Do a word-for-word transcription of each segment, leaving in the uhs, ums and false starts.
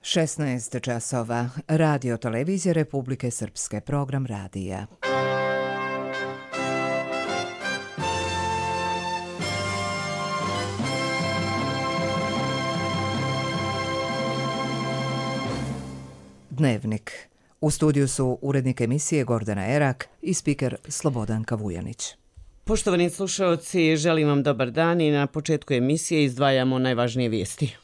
šesnaest časova. Radio televizije Republike Srpske. Program radija. Dnevnik. U studiju su urednik emisije Gordana Erak i spiker Slobodanka Vujanić. Poštovani slušaoci, želim vam dobar dan i na početku emisije izdvajamo najvažnije vijesti.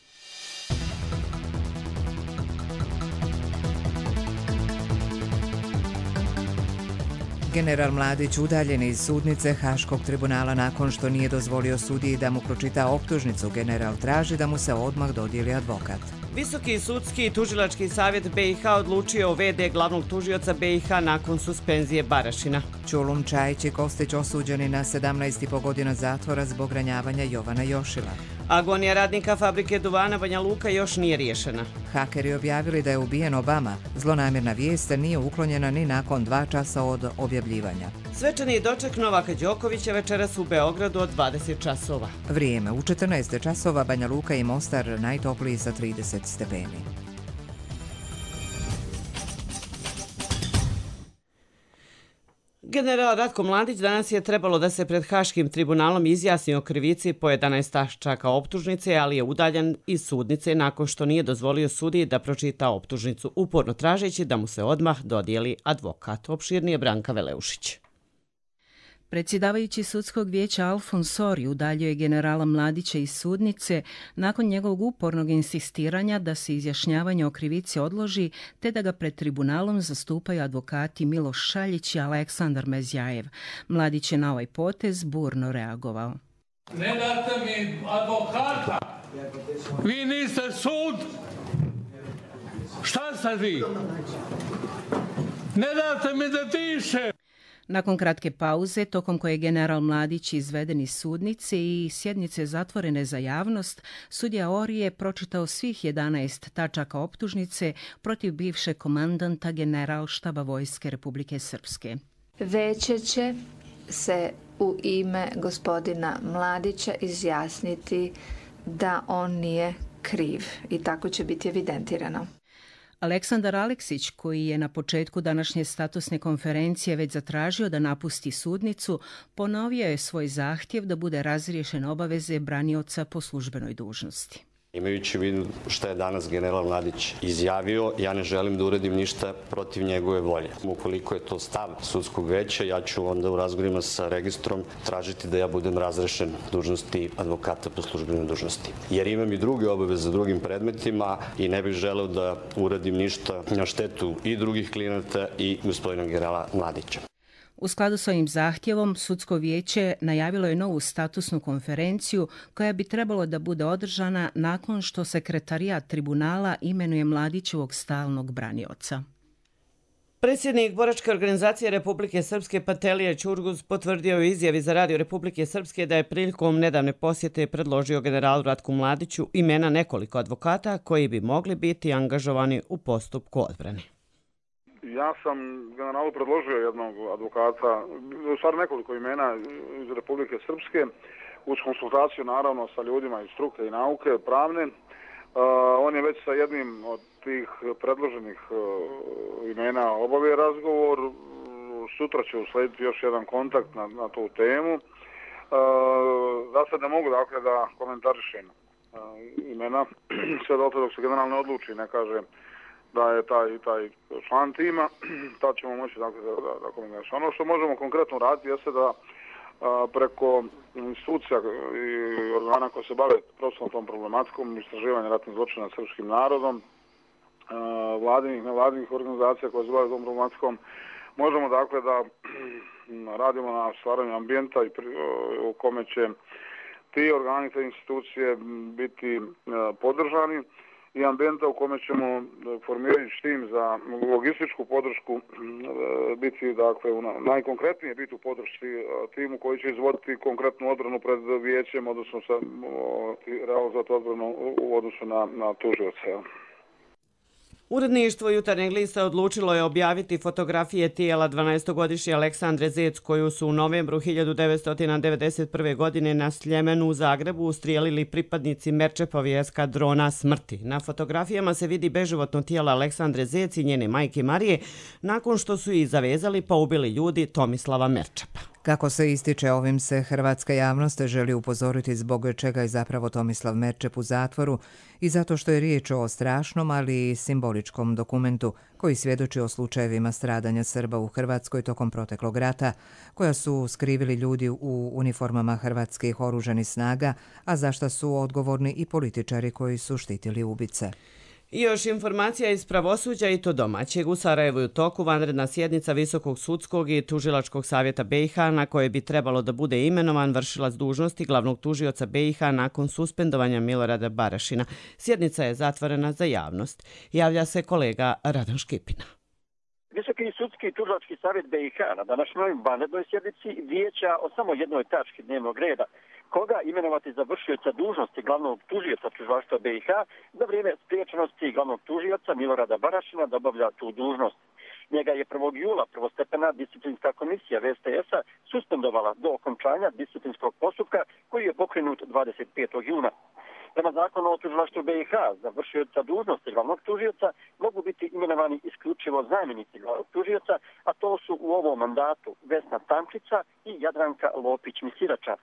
General Mladić udaljen iz sudnice Haškog tribunala nakon što nije dozvolio sudiji da mu pročita optužnicu. General traži da mu se odmah dodijeli advokat. Visoki sudski i tužilački savjet B i H odlučio o ve de glavnog tužioca be i ha nakon suspenzije Barašina. Čulum Čajić i Kostić osuđeni na sedamnaest i po godina zatvora zbog ranjavanja Jovana Jošila. Agonija radnika fabrike duvana Banja Luka još nije riješena. Hakeri objavili da je ubijen Obama. Zlonamjerna vijest nije uklonjena ni nakon dva časa od objavljivanja. Svečani doček Novaka Đokovića večeras u Beogradu od dvadeset časova. Vrijeme u četrnaest časova. Banja Luka i Mostar najtopliji sa trideset stepeni. General Ratko Mladić danas je trebalo da se pred Haškim tribunalom izjasni o krivici po jedanaest tačaka optužnice, ali je udaljen iz sudnice nakon što nije dozvolio sudiji da pročita optužnicu, uporno tražeći da mu se odmah dodijeli advokat. Opširnije Branka Veleušić. Predsjedavajući sudskog vijeća Alfons Sori udaljio je generala Mladića iz sudnice nakon njegovog upornog insistiranja da se izjašnjavanje o krivici odloži te da ga pred tribunalom zastupaju advokati Miloš Šaljić i Aleksandar Mezjajev. Mladić je na ovaj potez burno reagovao. Ne date mi advokata! Vi niste sud! Šta sad vi? Ne date mi da dišem! Nakon kratke pauze, tokom koje je general Mladić izveden iz sudnice i sjednice zatvorene za javnost, sudija Ori je pročitao svih jedanaest tačaka optužnice protiv bivšeg komandanta Generalštaba Vojske Republike Srpske. Veće će se u ime gospodina Mladića izjasniti da on nije kriv i tako će biti evidentirano. Aleksandar Aleksić, koji je na početku današnje statusne konferencije već zatražio da napusti sudnicu, ponovio je svoj zahtjev da bude razriješen obaveze branioca po službenoj dužnosti. Imajući u vidu što je danas general Mladić izjavio, ja ne želim da uradim ništa protiv njegove volje. Ukoliko je to stav sudskog veća, ja ću onda u razgovorima sa registrom tražiti da ja budem razrešen dužnosti advokata po službenoj dužnosti. Jer imam i druge obaveze za drugim predmetima i ne bih želeo da uradim ništa na štetu i drugih klijenata i gospodina generala Mladića. U skladu s ovim zahtjevom, sudsko vijeće najavilo je novu statusnu konferenciju koja bi trebalo da bude održana nakon što sekretarijat tribunala imenuje Mladićevog stalnog branioca. Predsjednik Boračke organizacije Republike Srpske Patelija Ćurguz potvrdio u izjavi za Radio Republike Srpske da je prilikom nedavne posjete predložio generalu Ratku Mladiću imena nekoliko advokata koji bi mogli biti angažovani u postupku odbrane. Ja sam generalu predložio jednog advokata, u stvari nekoliko imena iz Republike Srpske, uz konsultaciju naravno sa ljudima iz struke i nauke, pravne. Uh, on je već sa jednim od tih predloženih uh, imena obavio razgovor. Sutra će uslediti još jedan kontakt na, na tu temu. Uh, za sad ne mogu dakle da komentarišem uh, imena, sve do dok se general ne odluči, ne kaže da je taj, taj član tima, tad ćemo moći dakle, da, da, da komentarišemo. Ono što možemo konkretno raditi jeste da a, preko institucija i organa koje se bave profesionalnom tom problematikom, istraživanja ratnih zločina srpskim narodom, a, vladinih, nevladinih organizacija koje se bave tom problematikom, možemo dakle da radimo na stvaranju ambijenta i pri, u kome će ti organi, te institucije biti a, podržani i ambijenta u kome ćemo formirati tim za logističku podršku biti, dakle, najkonkretnije biti u podršci timu koji će izvoditi konkretnu odbranu pred vijećem, odnosno sa, realizovati odbranu u odnosu na, na tužioce. Uredništvo Jutarnjeg lista odlučilo je objaviti fotografije tijela dvanaestogodišnje Aleksandre Zec, koju su u novembru hiljadu devetsto devedeset prve. godine na Sljemenu u Zagrebu ustrijelili pripadnici Merčepovi eskadrona smrti. Na fotografijama se vidi beživotno tijelo Aleksandre Zec i njene majke Marije nakon što su ih zavezali pa ubili ljudi Tomislava Merčepa. Kako se ističe, ovim se hrvatska javnost želi upozoriti zbog čega je zapravo Tomislav Merčep u zatvoru i zato što je riječ o strašnom, ali i simboličkom dokumentu koji svjedoči o slučajevima stradanja Srba u Hrvatskoj tokom proteklog rata, koja su skrivili ljudi u uniformama hrvatskih oružanih snaga, a za šta su odgovorni i političari koji su štitili ubice. I još informacija iz pravosuđa i to domaćeg. U Sarajevu je u toku vanredna sjednica Visokog sudskog i tužilačkog savjeta B i H na koje bi trebalo da bude imenovan vršilac dužnosti glavnog tužioca B i H nakon suspendovanja Milorada Barašina. Sjednica je zatvorena za javnost. Javlja se kolega Radan Škipina. Visoki sudski i tužilački savjet B i H na današnjoj vanrednoj sjednici vijeća o samo jednoj tački dnevnog reda. Koga imenovati za vršioca dužnosti glavnog tužioca tužilaštva B i H za vrijeme spriječenosti glavnog tužioca Milorada Barašina da obavlja tu dužnost. Njega je prvog jula prvostepena disciplinska komisija V S T S-a suspendovala do okončanja disciplinskog postupka koji je pokrenut dvadeset petog juna. Prema zakonu o tužilaštvu B i H za vršioca dužnosti glavnog tužioca mogu biti imenovani isključivo zamjenici glavnog tužioca, a to su u ovom mandatu Vesna Tančica i Jadranka Lopić-Misirača.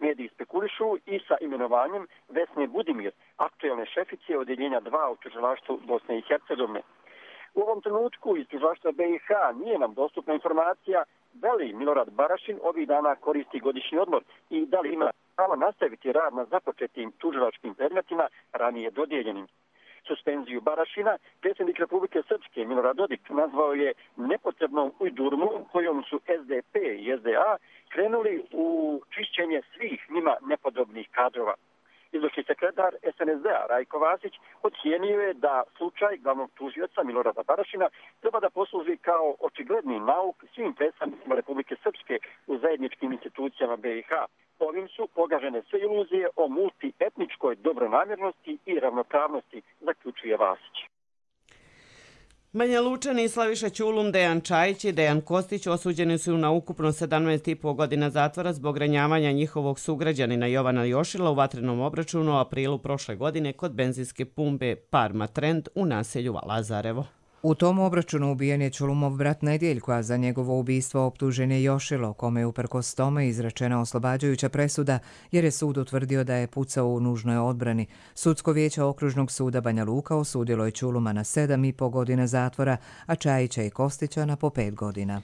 Mediji spekulišu i sa imenovanjem Vesne Budimir, aktuelne šefice odjeljenja dva u tužilaštvu Bosne i Hercegovine. U ovom trenutku iz tužilaštva B i H nije nam dostupna informacija da li Milorad Barašin ovih dana koristi godišnji odmor i da li ima pravo nastaviti rad na započetim tužilačkim predmetima ranije dodijeljenim. Suspenziju Barašina predsjednik Republike Srpske Milorad Dodik nazvao je nepotrebnom ujdurmu kojom su S D P i S D A krenuli u čišćenje svih njima nepodobnih kadrova. Izvršni sekretar S N S D-a Rajko Vasić ocijenio je da slučaj glavnog tužioca Milorada Barašina treba da posluži kao očigledni nauk svim predstavnicima Republike Srpske u zajedničkim institucijama B i H. Ovim su pogažene sve iluzije o multietničkoj dobronamjernosti i ravnopravnosti, zaključuje Vasić. Banja Lučani Slaviša Ćulum, Dejan Čajić i Dejan Kostić osuđeni su na ukupno sedamnaest i po godina zatvora zbog ranjavanja njihovog sugrađanina Jovana Jošila u vatrenom obračunu u aprilu prošle godine kod benzinske pumpe Parma Trend u naselju Lazarevo. U tom obračunu ubijen je Ćulumov brat Nedjeljko, a za njegovo ubistvo optužen je Jošilo, kome je uprkos tome izrečena oslobađajuća presuda jer je sud utvrdio da je pucao u nužnoj odbrani. Sudsko vijeće Okružnog suda Banja Luka osudilo je Ćuluma na sedam i po godina zatvora, a Čajića i Kostića na po pet godina.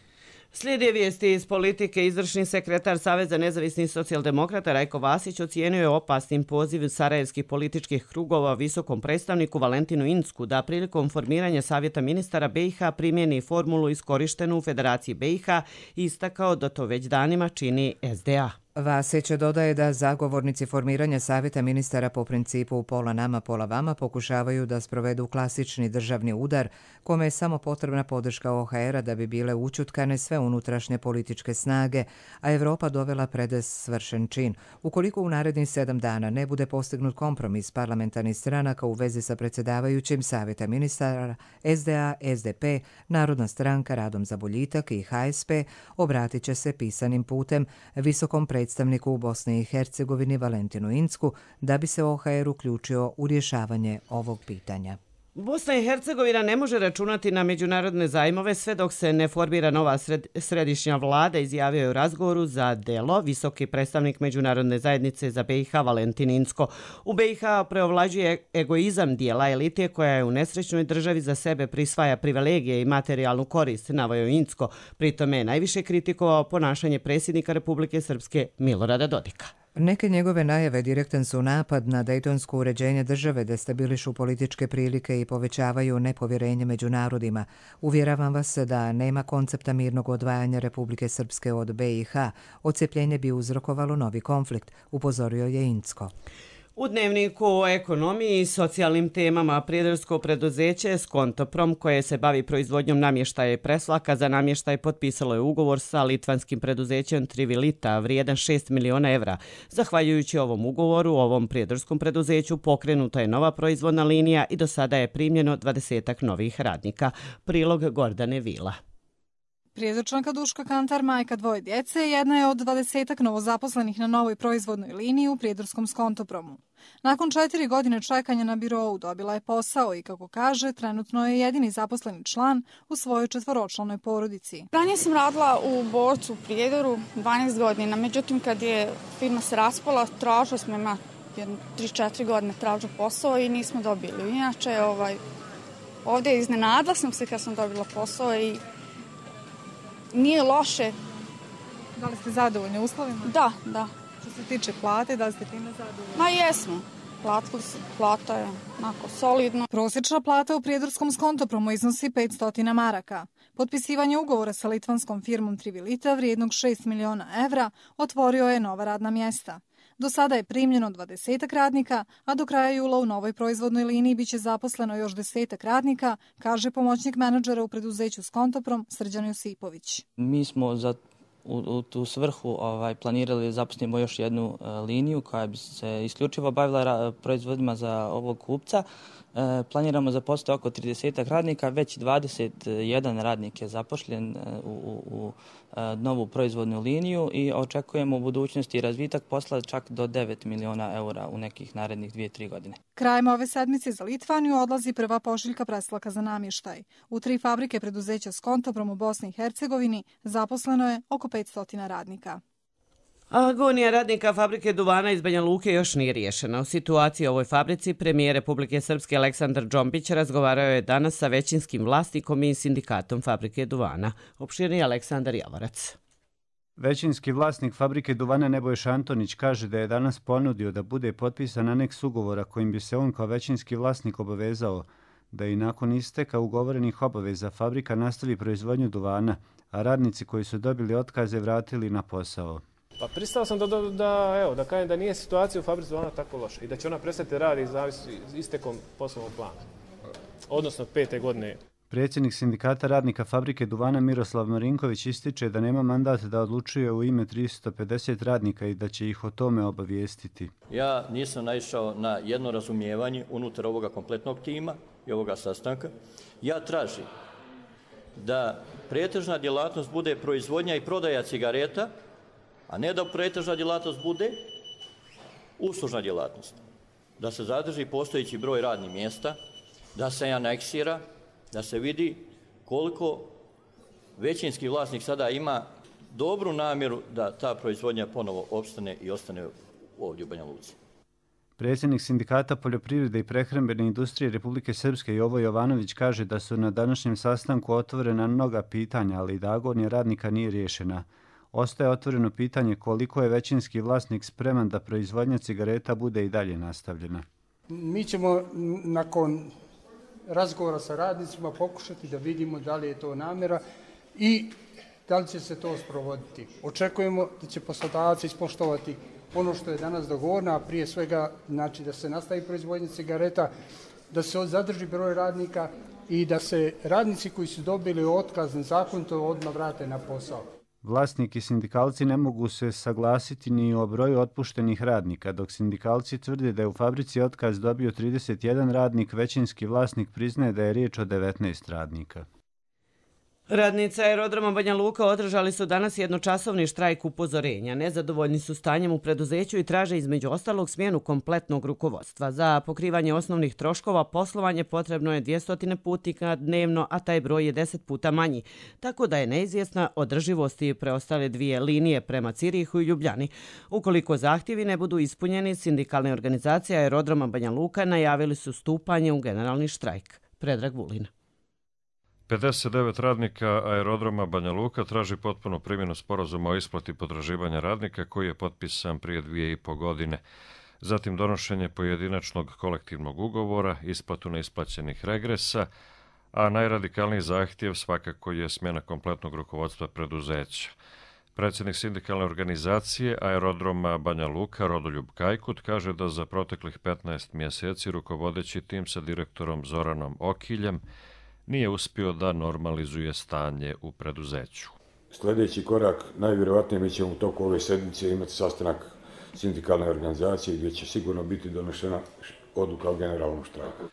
Slijede vijesti iz politike. Izvršni sekretar Saveza nezavisnih socijaldemokrata Rajko Vasić ocijenio je opasnim poziv sarajevskih političkih krugova visokom predstavniku Valentinu Incku da prilikom formiranja Savjeta ministara B i H primjeni formulu iskorištenu u Federaciji B i H i istakao da to već danima čini S D A. Vasić dodaje da zagovornici formiranja Savjeta ministara po principu pola nama, pola vama pokušavaju da sprovedu klasični državni udar kome je samo potrebna podrška O H R-a da bi bile učutkane sve unutrašnje političke snage, a Evropa dovela pred svršen čin. Ukoliko u narednih sedam dana ne bude postignut kompromis parlamentarnih stranaka u vezi sa predsjedavajućim Savjeta ministara, S D A, S D P, Narodna stranka, Radom za boljitak i H S P obratit će se pisanim putem visokom predstavniku predstavniku u Bosni i Hercegovini Valentinu Incku da bi se O H R uključio u rješavanje ovog pitanja. Bosna i Hercegovina ne može računati na međunarodne zajmove sve dok se ne formira nova sred, središnja vlada, izjavio je u razgovoru za Delo visoki predstavnik međunarodne zajednice za B i H Valentin Incko. U B i H preovlađuje egoizam dijela elite koja je u nesrećnoj državi za sebe prisvaja privilegije i materijalnu korist, naveo Incko. Pritome je najviše kritikovao ponašanje predsjednika Republike Srpske Milorada Dodika. Neke njegove najave direktan su napad na dejtonsko uređenje države, destabilišu političke prilike i povećavaju nepovjerenje među narodima. Uvjeravam vas da nema koncepta mirnog odvajanja Republike Srpske od B i H. Odcepljenje bi uzrokovalo novi konflikt, upozorio je Incko. U dnevniku o ekonomiji i socijalnim temama prijedarsko preduzeće Skontoprom, koje se bavi proizvodnjom namještaja i preslaka za namještaj, potpisalo je ugovor sa litvanskim preduzećem Trivilita vrijedan šest miliona evra. Zahvaljujući ovom ugovoru, ovom prijedarskom preduzeću pokrenuta je nova proizvodna linija i do sada je primljeno dvadesetak novih radnika. Prilog Gordane Vila. Prijedorčanka Duška Kantar, majka dvoje djece, jedna je od dvadesetak novozaposlenih na novoj proizvodnoj liniji u prijedorskom Skontopromu. Nakon četiri godine čekanja na birou dobila je posao i, kako kaže, trenutno je jedini zaposleni član u svojoj četvoročlanoj porodici. Ranije sam radila u Borcu u Prijedoru dvanaest godina, međutim kad je firma se raspala, tražili smo ima tri četiri godine tražila posao i nismo dobili. Inače, ovaj, ovdje iznenadila sam se kad sam dobila posao i nije loše. Da li ste zadovoljni uslovima? Da, da. Što se tiče plate, da li ste time zadovoljni? Ma jesmo. Platili se, plata je onako solidno. Prosječna plata u prijedorskom Skontopromu iznosi petsto maraka. Potpisivanje ugovora sa litvanskom firmom Trivilita vrijednog šest miliona evra otvorio je nova radna mjesta. Do sada je primljeno dvadesetak radnika, a do kraja jula u novoj proizvodnoj liniji biće zaposleno još desetak radnika, kaže pomoćnik menadžera u preduzeću Skontoprom Srđan Josipović. Mi smo za u, u tu svrhu ovaj, planirali zaposlimo još jednu e, liniju koja bi se isključivo bavila ra, proizvodima za ovog kupca. E, planiramo zaposliti oko tridesetak radnika, već dvadeset jedan radnik je zapošljen e, u, u, u e, novu proizvodnu liniju i očekujemo u budućnosti razvitak posla čak do devet miliona eura u nekih narednih dvije do tri godine. Krajem ove sedmice za Litvaniju odlazi prva pošiljka preslaka za namještaj. U tri fabrike preduzeća Skontoprom u Bosni i Hercegovini zaposleno je oko petsto radnika. Agonija radnika fabrike duvana iz Banja Luke još nije riješena. U situaciji u ovoj fabrici premijer Republike Srpske Aleksandar Džombić razgovarao je danas sa većinskim vlasnikom i sindikatom fabrike duvana. Opširni Aleksandar Javorac. Većinski vlasnik fabrike duvana Nebojša Antonić kaže da je danas ponudio da bude potpisan aneks ugovora kojim bi se on kao većinski vlasnik obavezao da i nakon isteka ugovorenih obaveza fabrika nastavi proizvodnju duvana, a radnici koji su dobili otkaze vratili na posao. Pa pristao sam da, da, da, evo, da kažem da nije situacija u fabrici duvana tako loša i da će ona prestati raditi zavisi istekom poslovnog plana, odnosno pete godine. Predsjednik sindikata radnika fabrike duvana Miroslav Marinković ističe da nema mandat da odlučuje u ime tristo pedeset radnika i da će ih o tome obavijestiti. Ja nisam naišao na jedno razumijevanje unutar ovoga kompletnog tima i ovoga sastanka. Ja tražim da pretežna djelatnost bude proizvodnja i prodaja cigareta, a ne da pretežna djelatnost bude uslužna djelatnost. Da se zadrži postojeći broj radnih mjesta, da se aneksira, da se vidi koliko većinski vlasnik sada ima dobru namjeru da ta proizvodnja ponovo opstane i ostane ovdje u Banja Luci. Predsjednik sindikata poljoprivrede i prehrambene industrije Republike Srpske Jovo Jovanović kaže da su na današnjem sastanku otvorena mnoga pitanja, ali da agonija radnika nije riješena. Ostaje otvoreno pitanje koliko je većinski vlasnik spreman da proizvodnja cigareta bude i dalje nastavljena. Mi ćemo nakon razgovora sa radnicima pokušati da vidimo da li je to namjera i da li će se to sprovoditi. Očekujemo da će poslodavac ispoštovati ono što je danas dogovoreno, a prije svega znači da se nastavi proizvodnja cigareta, da se zadrži broj radnika i da se radnici koji su dobili otkaz nezakonito odmah vrate na posao. Vlasnik i sindikalci ne mogu se saglasiti ni o broju otpuštenih radnika, dok sindikalci tvrde da je u fabrici otkaz dobio trideset jedan radnik, većinski vlasnik priznaje da je riječ o devetnaest radnika. Radnici aerodroma Banja Luka održali su danas jednočasovni štrajk upozorenja. Nezadovoljni su stanjem u preduzeću i traže između ostalog smjenu kompletnog rukovodstva. Za pokrivanje osnovnih troškova poslovanje potrebno je dvjesto putnika dnevno, a taj broj je deset puta manji. Tako da je neizvjesna održivost i preostale dvije linije prema Cirihu i Ljubljani. Ukoliko zahtjevi ne budu ispunjeni, sindikalne organizacije aerodroma Banja Luka najavili su stupanje u generalni štrajk. Predrag Vulin. pedeset devet radnika aerodroma Banja Luka traži potpunu primjenu sporazuma o isplati potraživanja radnika koji je potpisan prije dvije i po godine. Zatim donošenje pojedinačnog kolektivnog ugovora, isplatu neisplaćenih regresa, a najradikalniji zahtjev svakako je smjena kompletnog rukovodstva preduzeća. Predsjednik sindikalne organizacije Aerodroma Banja Luka Rodoljub Kajkut kaže da za proteklih petnaest mjeseci rukovodeći tim sa direktorom Zoranom Okiljem nije uspio da normalizuje stanje u preduzeću. Sljedeći korak, najvjerojatnije mi ćemo u toku ove sedmice imati sastanak sindikalne organizacije gdje će sigurno biti donešena odluka o generalnom štrajku.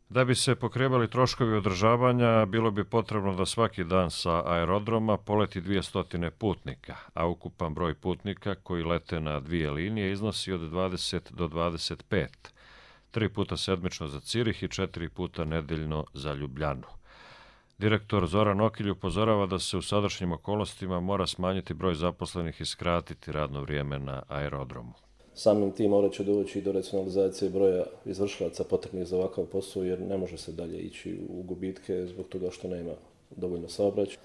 Da bi se pokrebali troškovi održavanja, bilo bi potrebno da svaki dan sa aerodroma poleti dvjesto putnika, a ukupan broj putnika koji lete na dvije linije iznosi od dvadeset do dvadeset pet, tri puta sedmično za Cirih i četiri puta nedeljno za Ljubljanu. Direktor Zoran Okilj upozorava da se u sadašnjim okolnostima mora smanjiti broj zaposlenih i skratiti radno vrijeme na aerodromu. Samim tim morat će doći do racionalizacije broja izvršilaca potrebnih za ovakav posao, jer ne može se dalje ići u gubitke zbog toga što nema dovoljno saobraćaja.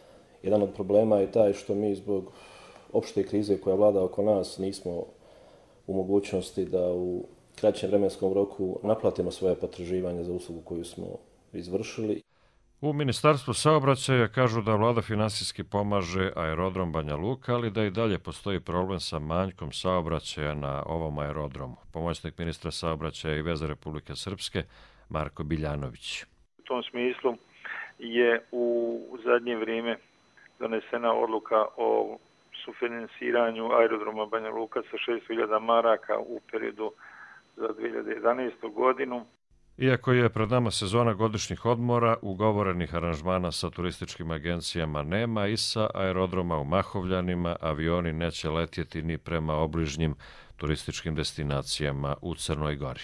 Jedan od problema je taj što mi zbog opšte krize koja vlada oko nas nismo u mogućnosti da u kraćem vremenskom roku naplatimo svoje potraživanja za uslugu koju smo izvršili. U Ministarstvu saobraćaja kažu da vlada finansijski pomaže aerodrom Banja Luka, ali da i dalje postoji problem sa manjkom saobraćaja na ovom aerodromu. Pomoćnik ministra saobraćaja i veza Republike Srpske Marko Biljanović. U tom smislu je u zadnje vrijeme donesena odluka o sufinansiranju aerodroma Banja Luka sa šest hiljada maraka u periodu za dvije hiljade jedanaestu godinu. Iako je pred nama sezona godišnjih odmora, ugovorenih aranžmana sa turističkim agencijama nema i sa aerodroma u Mahovljanima avioni neće letjeti ni prema obližnjim turističkim destinacijama u Crnoj Gori.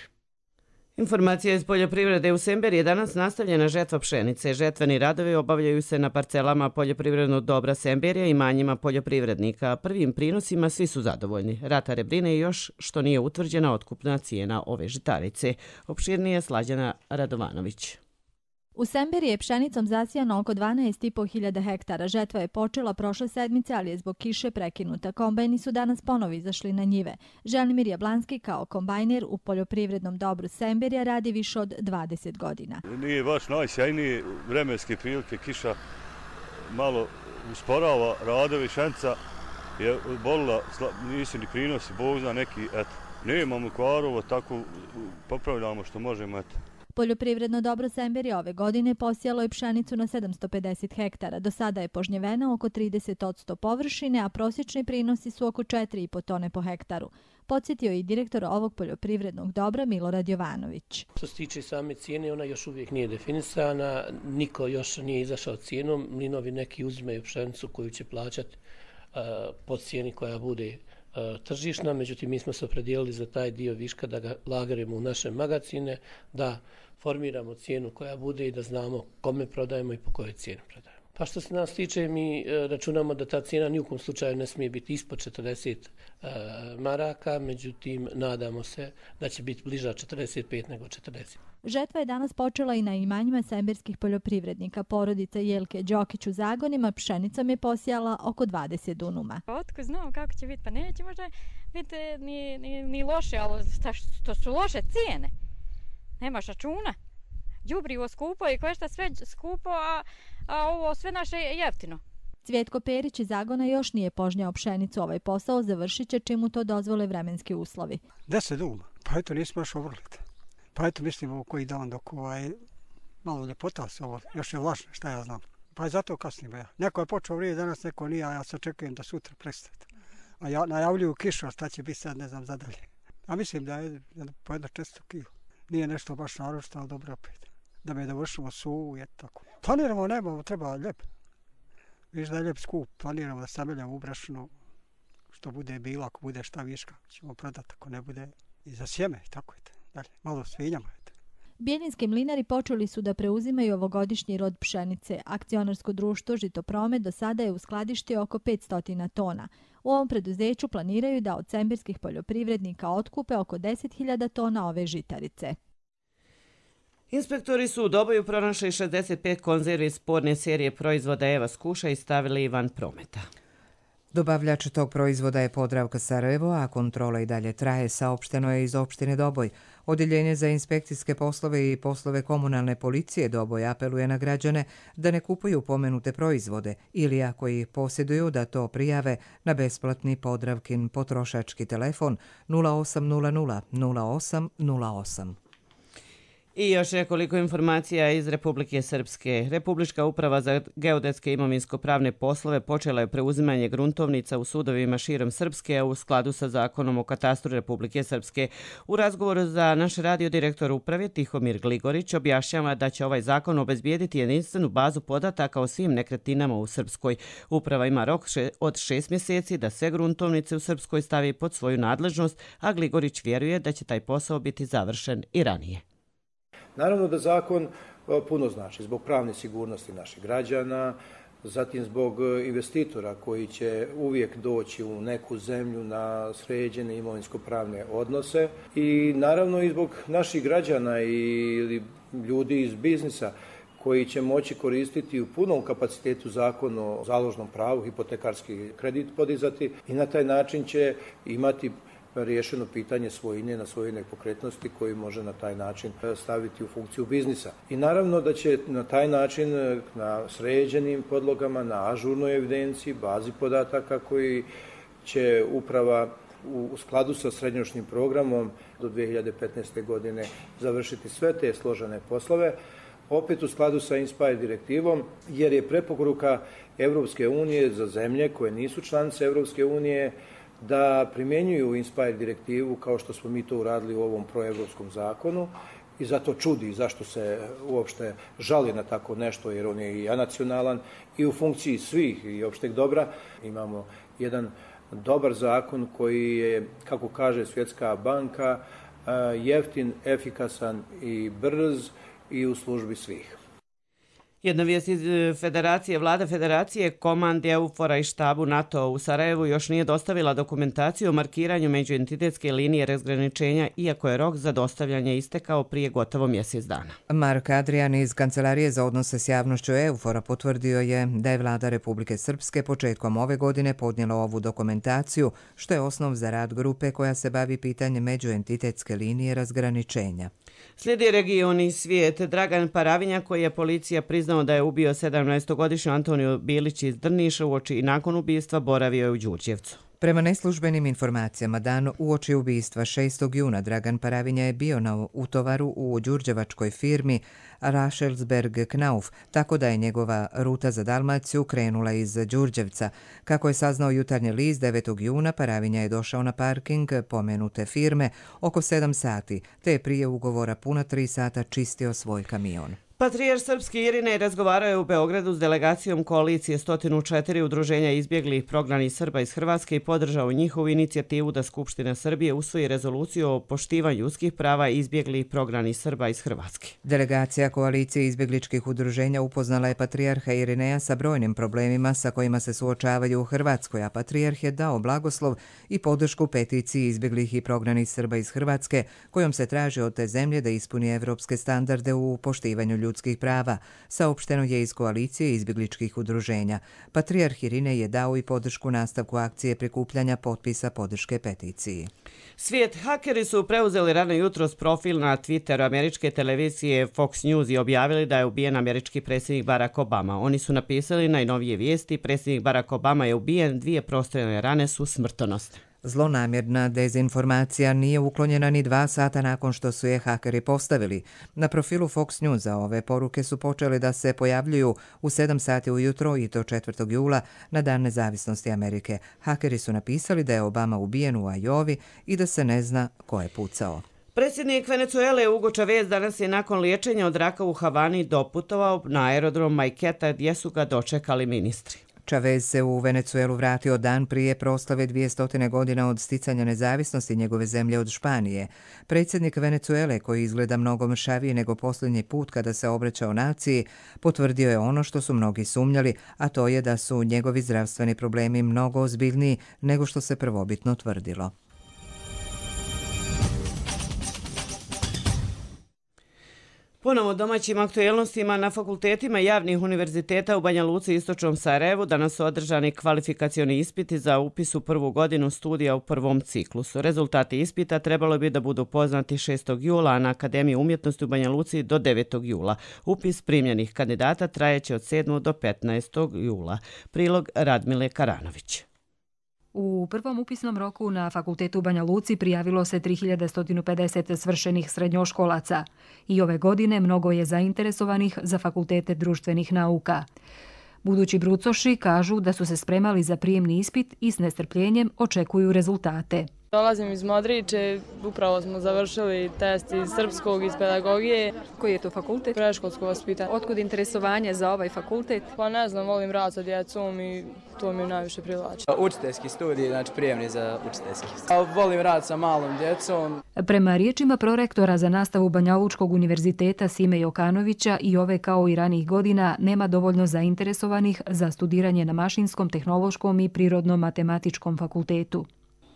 Informacija iz poljoprivrede. U Semberiji je danas nastavljena žetva pšenice. Žetveni radovi obavljaju se na parcelama poljoprivrednog dobra Semberija i manjima poljoprivrednika. Prvim prinosima svi su zadovoljni. Ratare brine još što nije utvrđena otkupna cijena ove žitarice. Opširnije Slađana Radovanović. U Semberiji je pšenicom zasijano oko dvanaest i po hiljada hektara. Žetva je počela prošle sedmice, ali je zbog kiše prekinuta. Kombajni su danas ponovo izašli na njive. Želimir Jablanski kao kombajner u poljoprivrednom dobru Semberija radi više od dvadeset godina. Nije baš najsjajnije vremenske prilike, kiša malo usporava radovi, šanca je bolila, nisu ni prinosi, Bog zna neki, eto. Nemamo kvarova, tako popravljamo što možemo, eto. Poljoprivredno dobro Semberija ove godine posijalo je pšenicu na sedamsto pedeset hektara. Do sada je požnjevena oko trideset posto površine, a prosječni prinosi su oko četiri i po tone po hektaru. Podsjetio je i direktor ovog poljoprivrednog dobra Milorad Jovanović. Što se tiče same cijene, ona još uvijek nije definisana, niko još nije izašao cijenom. Mlinovi neki uzimaju pšenicu koju će plaćati uh, po cijeni koja bude uh, tržišna, međutim mi smo se opredijelili za taj dio viška da ga lagarimo u naše magazine, da formiramo cijenu koja bude i da znamo kome prodajemo i po kojoj cijeni prodajemo. Pa što se nas tiče, mi računamo da ta cijena ni u kom slučaju ne smije biti ispod četrdeset e, maraka, međutim nadamo se da će biti bliža četrdeset pet nego četrdeset. Žetva je danas počela i na imanjima semberskih poljoprivrednika. Porodica Jelke Đokić u Zagonima pšenicom je posijala oko dvadeset dunuma. Otko znamo kako će biti, pa neće možda biti ni, ni, ni loše, ali to su loše cijene. Nemaš računa. Đubrivo skupo i košta sve skupo, a, a ovo sve naše je jeftino. Cvjetko Perić iz Zagona još nije požnjao pšenicu. Ovaj posao završit će čim mu to dozvole vremenski uslovi. Deset duma. Pa eto nismo još ovrliti. Pa eto mislimo koji dan dok ovaj, malo ljepota se ovo, još je vlažno, šta ja znam. Pa je zato kasnimo ja. Neko je počeo vrije danas, neko nije, a ja se očekujem da sutra prestane. A ja najavljuju kišu, a šta će biti sad, ne znam, zadalje. A mislim da je po jedno često kilo. Nije nešto baš naročito, ali dobro opet. Da me dovršimo suvu, je tako. Planiramo, nemamo, treba ljep. Viš da je ljep skup, planiramo da stavljamo u brašno, što bude bilo, ako bude šta viška, ćemo prodati, ako ne bude i za sjeme, tako je. Dalje, malo svinjamo. Bjeljinski mlinari počeli su da preuzimaju ovogodišnji rod pšenice. Akcionarsko društvo Žitopromet do sada je uskladištio oko petsto tona. U ovom preduzeću planiraju da od semberskih poljoprivrednika otkupe oko deset hiljada tona ove žitarice. Inspektori su u Doboju pronašli šezdeset pet konzervi sporne serije proizvoda Eva Skuša i stavili van prometa. Dobavljač tog proizvoda je Podravka Sarajevo, a kontrola i dalje traje, saopšteno je iz opštine Doboj. Odjeljenje za inspekcijske poslove i poslove komunalne policije Doboj apeluje na građane da ne kupuju pomenute proizvode ili ako ih posjeduju da to prijave na besplatni Podravkin potrošački telefon nula osam nula nula nula osam nula osam. I još nekoliko informacija iz Republike Srpske. Republička uprava za geodetske imovinsko-pravne poslove počela je preuzimanje gruntovnica u sudovima širom Srpske u skladu sa zakonom o katastru Republike Srpske. U razgovoru za naš radio direktor uprave Tihomir Gligorić objašnjava da će ovaj zakon obezbijediti jedinstvenu bazu podataka o svim nekretninama u Srpskoj. Uprava ima rok od šest mjeseci da sve gruntovnice u Srpskoj stavi pod svoju nadležnost, a Gligorić vjeruje da će taj posao biti završen i ranije. Naravno da zakon puno znači zbog pravne sigurnosti naših građana, zatim zbog investitora koji će uvijek doći u neku zemlju na sređene imovinsko-pravne odnose i naravno i zbog naših građana i ljudi iz biznisa koji će moći koristiti u punom kapacitetu zakon o založnom pravu, hipotekarski kredit podizati i na taj način će imati riješeno pitanje svojine na svoje nepokretnosti koji može na taj način staviti u funkciju biznisa. I naravno da će na taj način na sređenim podlogama, na ažurnoj evidenciji, bazi podataka koji će uprava u skladu sa srednjoročnim programom do dvije hiljade petnaeste. godine završiti sve te složene poslove, opet u skladu sa INSPIRE direktivom, jer je preporuka Evropske unije za zemlje koje nisu članice Evropske unije da primjenjuju INSPIRE direktivu kao što smo mi to uradili u ovom proevropskom zakonu i zato čudi zašto se uopšte žali na tako nešto, jer on je i anacionalan i u funkciji svih i opšteg dobra. Imamo jedan dobar zakon koji je, kako kaže Svjetska banka, jeftin, efikasan i brz i u službi svih. Jedna vijest iz Federacije, vlada Federacije, komandi EUFOR-a i štabu NATO u Sarajevu još nije dostavila dokumentaciju o markiranju međuentitetske linije razgraničenja, iako je rok za dostavljanje istekao prije gotovo mjesec dana. Mark Adrian iz Kancelarije za odnose s javnošću EUFOR-a potvrdio je da je vlada Republike Srpske početkom ove godine podnijela ovu dokumentaciju, što je osnov za rad grupe koja se bavi pitanjem međuentitetske linije razgraničenja. Slijedi region i svijet. Dragan Paravinja, koji je policija priznao da je ubio sedamnaestogodišnju Antoniju Bilić iz Drniša uoči i nakon ubistva, boravio je u Đurđevcu. Prema neslužbenim informacijama, dan uoči ubistva šestog juna Dragan Paravinja je bio na utovaru u đurđevačkoj firmi Rašelsberg Knauf, tako da je njegova ruta za Dalmaciju krenula iz Đurđevca. Kako je saznao Jutarnji list, devetog juna Paravinja je došao na parking pomenute firme oko sedam sati, te je prije ugovora puna tri sata čistio svoj kamion. Patrijarh srpski Irinej razgovarao je u Beogradu s delegacijom koalicije sto četiri udruženja izbjeglih prognanih Srba iz Hrvatske i podržao njihovu inicijativu da Skupština Srbije usvoji rezoluciju o poštivanju ljudskih prava izbjeglih prognanih Srba iz Hrvatske. Delegacija koalicije izbjegličkih udruženja upoznala je patrijarha Irineja sa brojnim problemima sa kojima se suočavaju u Hrvatskoj, a patrijarh je dao blagoslov i podršku peticiji izbjeglih i prognanih Srba iz Hrvatske, kojom se traži od te zemlje da ispuni evropske standarde u poštivanju ljudskih prava, saopšteno je iz koalicije izbjegličkih udruženja. Patrijarh Irinej je dao i podršku nastavku akcije prikupljanja potpisa podrške peticiji. Svijet hakeri su preuzeli rano jutros profil na Twitteru američke televizije Fox News i objavili da je ubijen američki predsjednik Barack Obama. Oni su napisali najnovije vijesti: predsjednik Barack Obama je ubijen, dvije prostrelne rane su smrtonosne. Zlonamjerna dezinformacija nije uklonjena ni dva sata nakon što su je hakeri postavili. Na profilu Fox Newsa ove poruke su počele da se pojavljuju u sedam sati ujutro i to četvrtog jula na Dan nezavisnosti Amerike. Hakeri su napisali da je Obama ubijen u Ajovi i da se ne zna ko je pucao. Predsjednik Venecuele Hugo Chavez danas je nakon liječenja od raka u Havani doputovao na aerodrom Majketa gdje su ga dočekali ministri. Chavez se u Venecuelu vratio dan prije proslave dvjesto godina od sticanja nezavisnosti njegove zemlje od Španije. Predsjednik Venecuele, koji izgleda mnogo mršavije nego posljednji put kada se obraćao naciji, potvrdio je ono što su mnogi sumnjali, a to je da su njegovi zdravstveni problemi mnogo ozbiljniji nego što se prvobitno tvrdilo. Ponovo domaćim aktuelnostima na fakultetima javnih univerziteta u Banja Luci i Istočnom Sarajevu danas su održani kvalifikacioni ispiti za upis u prvu godinu studija u prvom ciklusu. Rezultati ispita trebalo bi da budu poznati šestog jula, a na Akademiji umjetnosti u Banja Luci do devetog jula. Upis primljenih kandidata trajeće od sedmog do petnaestog jula. Prilog Radmile Karanović. U prvom upisnom roku na fakultetu u Banja Luci prijavilo se tri hiljade sto pedeset svršenih srednjoškolaca i ove godine mnogo je zainteresovanih za fakultete društvenih nauka. Budući brucoši kažu da su se spremali za prijemni ispit i s nestrpljenjem očekuju rezultate. Dolazim iz Modriče, upravo smo završili test iz srpskog, iz pedagogije. Koji je to fakultet? Preškolsko vaspitanje. Otkud interesovanje za ovaj fakultet? Pa ne znam, volim rad sa djecom i to mi najviše privlači. Učiteljski studij, znači prijemni za učiteljski. Volim rad sa malom djecom. Prema riječima prorektora za nastavu Banja Lučkog univerziteta Sime Jokanovića, i ove kao i ranijih godina nema dovoljno zainteresovanih za studiranje na Mašinskom, Tehnološkom i Prirodno-matematičkom fakultetu.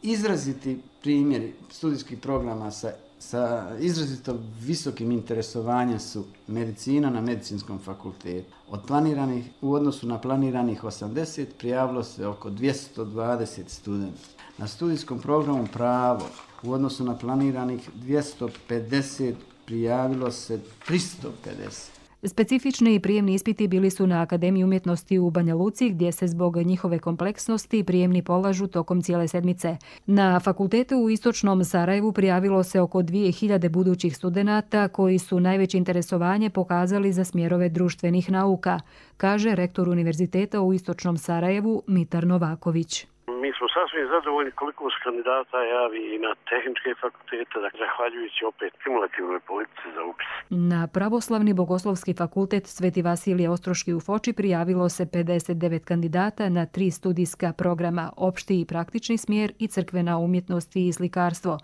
Izraziti primjeri studijskih programa sa, sa izrazito visokim interesovanjem su medicina na Medicinskom fakultetu. Od planiranih, u odnosu na planiranih osamdeset prijavilo se oko dvjesto dvadeset studenta. Na studijskom programu pravo u odnosu na planiranih dvjesto pedeset prijavilo se tristo pedeset. Specifični i prijemni ispiti bili su na Akademiji umjetnosti u Banja Luci, gdje se zbog njihove kompleksnosti prijemni polažu tokom cijele sedmice. Na fakultetu u Istočnom Sarajevu prijavilo se oko dvije hiljade budućih studenata koji su najveće interesovanje pokazali za smjerove društvenih nauka, kaže rektor Univerziteta u Istočnom Sarajevu Mitar Novaković. Mi smo sasvim zadovoljni koliko se kandidata javi i na tehničke fakultete, zahvaljujući opet stimulativnoj politici za upis. Na Pravoslavni bogoslovski fakultet Sveti Vasilije Ostroški u Foči prijavilo se pedeset devet kandidata na tri studijska programa, opšti i praktični smjer i crkvena umjetnost i slikarstvo,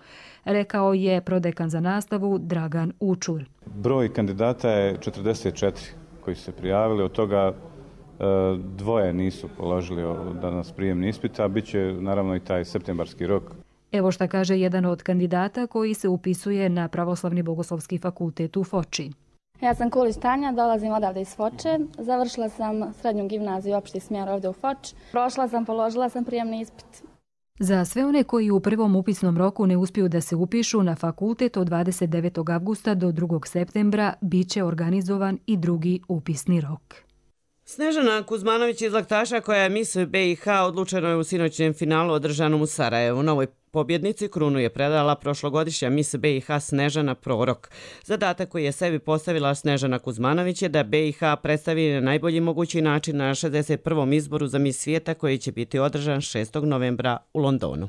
rekao je prodekan za nastavu Dragan Učur. Broj kandidata je četrdeset četiri koji su se prijavili, od toga dvoje nisu položili danas prijemni ispit, a bit će naravno i taj septembarski rok. Evo šta kaže jedan od kandidata koji se upisuje na Pravoslavni bogoslovski fakultet u Foči. Ja sam Kulić Tanja, dolazim odavde iz Foče. Završila sam srednju gimnaziju opšti smjer ovdje u Foč. Prošla sam, položila sam prijemni ispit. Za sve one koji u prvom upisnom roku ne uspiju da se upišu na fakultet od dvadeset devetog avgusta do drugog septembra bit će organizovan i drugi upisni rok. Snežana Kuzmanović iz Laktaša, koja je mis B i H, odlučeno je u sinoćnjem finalu održanom u Sarajevu. Novoj pobjednici krunu je predala prošlogodišnja mis B i H Snežana Prorok. Zadatak koji je sebi postavila Snežana Kuzmanović je da B i H predstavi na najbolji mogući način na šezdeset prvom izboru za mis svijeta koji će biti održan šestog novembra u Londonu.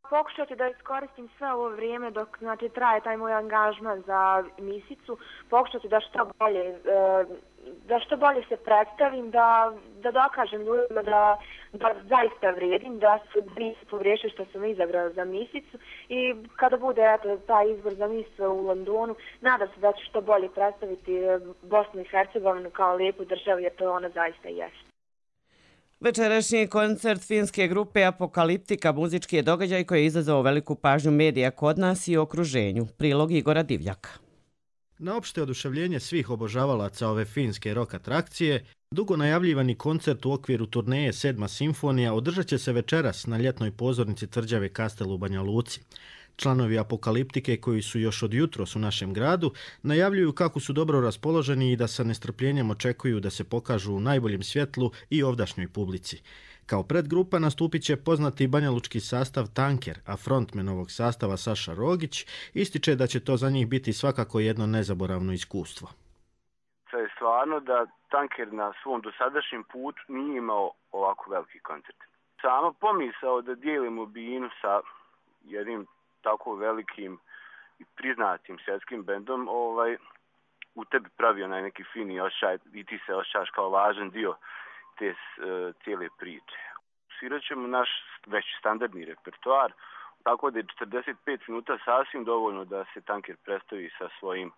Pokušat ću da iskoristim sve ovo vrijeme dok znači, traje taj moj angažman za misicu. Pokušat ću da što bolje, da što bolje se predstavim, da, da dokažem ljudima da, da zaista vrijedim, da su nisu pogriješili što sam izabrala za misicu i kada bude eto, taj izbor za mis u Londonu, nadam se da ću što bolje predstaviti Bosnu i Hercegovinu kao lijepu državu jer to ona zaista jeste. Večerašnji koncert finske grupe Apokaliptika muzički je događaj koji je izazvao veliku pažnju medija kod nas i okruženju. Prilog Igora Divljaka. Na opšte oduševljenje svih obožavalaca ove finske rock atrakcije, dugo najavljivani koncert u okviru turneje Sedma simfonija održat će se večeras na ljetnoj pozornici tvrđave Kastel u Banja Luci. Članovi Apokaliptike, koji su još od jutros u našem gradu, najavljuju kako su dobro raspoloženi i da sa nestrpljenjem očekuju da se pokažu u najboljem svjetlu i ovdašnjoj publici. Kao predgrupa nastupit će poznati banjalučki sastav Tanker, a frontmen ovog sastava Saša Rogić ističe da će to za njih biti svakako jedno nezaboravno iskustvo. To je stvarno da Tanker na svom dosadašnjem putu nije imao ovako veliki koncert. Sama pomisao da dijelimo binu sa jednim tako velikim i priznatim svjetskim bendom ovaj, u tebi pravi onaj neki fini osjećaj i ti se osjećaš kao važan dio te uh, cijele priče. Svirat ćemo naš već standardni repertoar, tako da je četrdeset pet minuta sasvim dovoljno da se Tanker predstavi sa svojim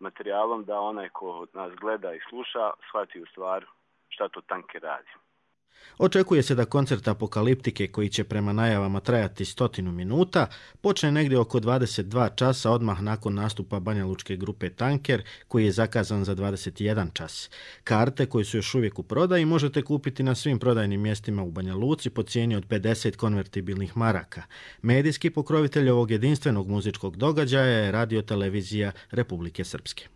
materijalom, da onaj ko nas gleda i sluša shvati u stvar šta to Tanker radi. Očekuje se da koncert Apokaliptike, koji će prema najavama trajati stotinu minuta, počne negdje oko dvadeset dva časa odmah nakon nastupa banjalučke grupe Tanker, koji je zakazan za dvadeset jedan čas. Karte, koje su još uvijek u prodaji, možete kupiti na svim prodajnim mjestima u Banja Luci po cijeni od pedeset konvertibilnih maraka. Medijski pokrovitelj ovog jedinstvenog muzičkog događaja je Radio televizija Republike Srpske.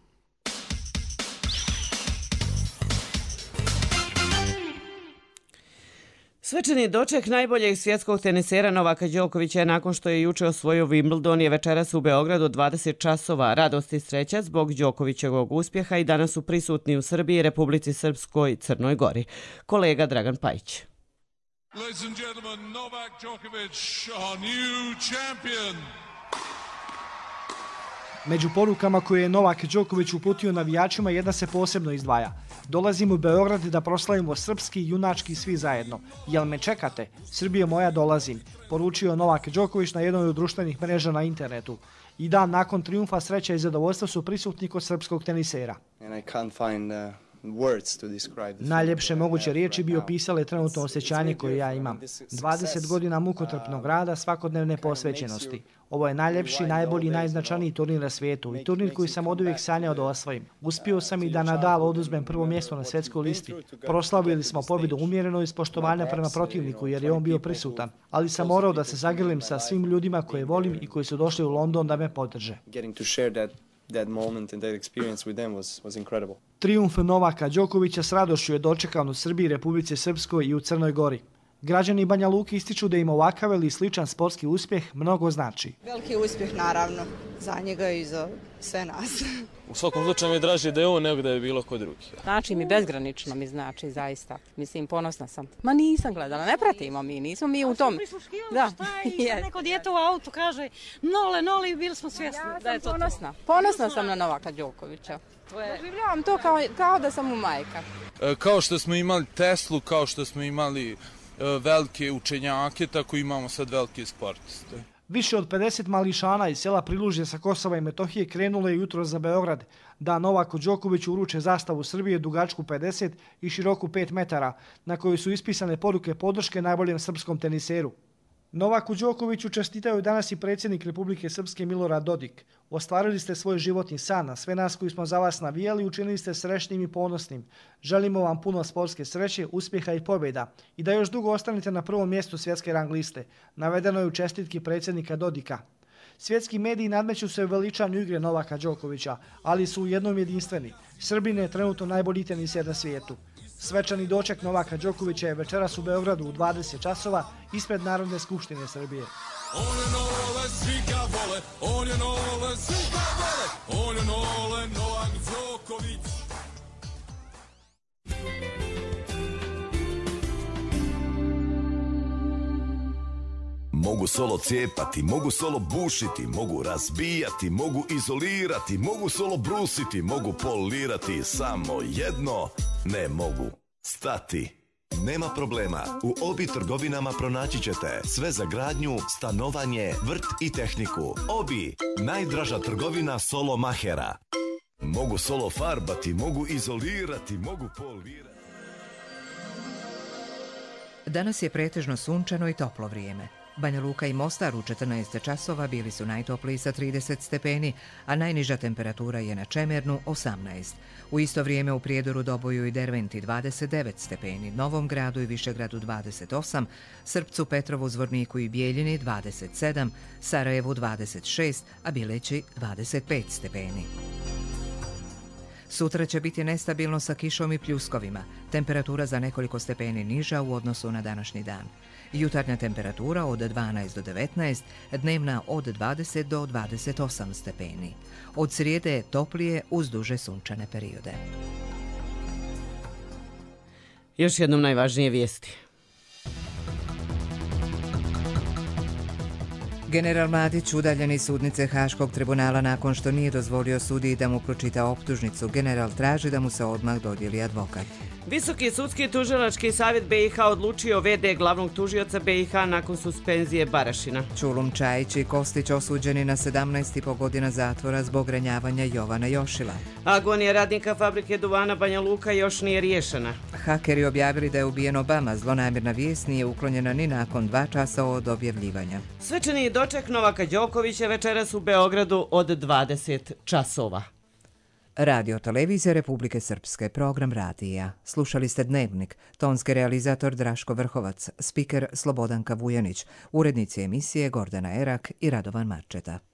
Svečani doček najboljeg svjetskog tenisera Novaka Đokovića je nakon što je juče osvojio Wimbledon je večeras u Beogradu dvadeset časova. Radost i sreća zbog Đokovićevog uspjeha i danas su prisutni u Srbiji, Republici Srpskoj i Crnoj Gori. Kolega Dragan Pajić. Ladies and gentlemen, Novak Djokovic, our new champion. Među porukama koje je Novak Đoković uputio navijačima jedna se posebno izdvaja. Dolazimo u Beograd da proslavimo srpski i junački svi zajedno. Jel me čekate? Srbije moja, dolazim, poručio Novak Đoković na jednoj od društvenih mreža na internetu. I dan nakon trijumfa sreća i zadovoljstva su prisutni kod srpskog tenisera. And I can't find, uh... Najljepše moguće riječi bi opisale trenutno osjećanje koje ja imam. dvadeset godina mukotrpnog rada, svakodnevne posvećenosti. Ovo je najljepši, najbolji i najznačajniji turnir na svijetu i turnir koji sam oduvijek sanjao da osvojim. Uspio sam i da Nadal oduzmem prvo mjesto na svjetskoj listi. Proslavili smo pobjedu umjereno iz poštovanja prema protivniku jer je on bio prisutan, ali sam morao da se zagrlim sa svim ljudima koje volim i koji su došli u London da me podrže. That moment and that experience with them was was incredible. Trijumf Novaka Đokovića s radošću je dočekan u Srbiji, Republici Srpskoj i u Crnoj Gori. Građani Banja Luke ističu da im ovakav ili sličan sportski uspjeh mnogo znači. Veliki uspjeh naravno za njega i za sve nas. U svakom slučaju mi je draže da je on nego da je bilo ko drugi. Znači mi bezgranično mi znači zaista. Mislim, ponosna sam. Ma nisam gledala, ne pratimo mi, nismo mi u tom. Da, šta neko dijete u autu kaže nole, nole i bili smo svjesni ja da je to ponosna. Ponosna sam na Novaka Đokovića. Doživljavam to kao, kao da sam mu majka. E, kao što smo imali Teslu, kao što smo imali velike učenjake, tako imamo sad velike sportiste. Više od pedeset mališana iz sela Prilužje sa Kosova i Metohije krenulo je jutro za Beograd da Novaku Đokoviću uruče zastavu Srbije dugačku pedeset i široku pet metara, na kojoj su ispisane poruke podrške najboljem srpskom teniseru. Novaku Đokoviću čestitaju danas i predsjednik Republike Srpske Milorad Dodik. Ostvarili ste svoj životni san, a sve nas koji smo za vas navijali učinili ste srećnim i ponosnim. Želimo vam puno sportske sreće, uspjeha i pobjeda i da još dugo ostanete na prvom mjestu svjetske rang liste, navedeno je u čestitki predsjednika Dodika. Svjetski mediji nadmeću se u veličanju igre Novaka Đokovića, ali su u jednom jedinstveni. Srbin je trenutno najbolji teniser na svijetu. Svečani doček Novaka Đokovića je večeras u Beogradu u dvadeset časova ispred Narodne skupštine Srbije. On je nole, svi ga vole, on je nole, svi ga vole, on je nole, Novak Đoković. Mogu solo cijepati, mogu solo bušiti, mogu razbijati, mogu izolirati, mogu solo brusiti, mogu polirati, samo jedno ne mogu stati. Nema problema, u Obi trgovinama pronaći ćete sve za gradnju, stanovanje, vrt i tehniku. Obi, najdraža trgovina solo mahera. Mogu solo farbati, mogu izolirati, mogu polirati. Danas je pretežno sunčano i toplo vrijeme. Banja Luka i Mostar u četrnaest časova bili su najtopliji sa trideset stepeni, a najniža temperatura je na Čemernu osamnaest. U isto vrijeme u Prijedoru, Doboju i Derventi dvadeset devet stepeni, Novom Gradu i Višegradu dvadeset osam, Srpcu, Petrovu, Zvorniku i Bijeljini dvadeset sedam, Sarajevu dvadeset šest, a Bileći dvadeset pet stepeni. Sutra će biti nestabilno sa kišom i pljuskovima, temperatura za nekoliko stepeni niža u odnosu na današnji dan. Jutarnja temperatura od dvanaest do devetnaest, dnevna od dvadeset do dvadeset osam stepeni. Od srijede toplije uz duže sunčane periode. Još jednom najvažnije vijesti. General Mladić udaljen iz sudnice Haškog tribunala nakon što nije dozvolio sudiji da mu pročita optužnicu. General traži da mu se odmah dodijeli advokat. Visoki sudski tužilački savjet B i H odlučio ve de glavnog tužioca B i H nakon suspenzije Barašina. Čulum Čajić i Kostić osuđeni na sedamnaest i po godina zatvora zbog ranjavanja Jovana Jošila. Agonija radnika fabrike duvana Banja Luka još nije riješena. Hakeri objavili da je ubijen Obama, zlonamjerna vijest nije uklonjena ni nakon dva časa od objavljivanja. Svečani doček Novaka Đokovića večeras u Beogradu od dvadeset časova. Radio Televizija Republike Srpske, program radija. Slušali ste Dnevnik, tonski realizator Draško Vrhovac, spiker Slobodanka Vujanić, urednici emisije Gordana Erak i Radovan Marčeta.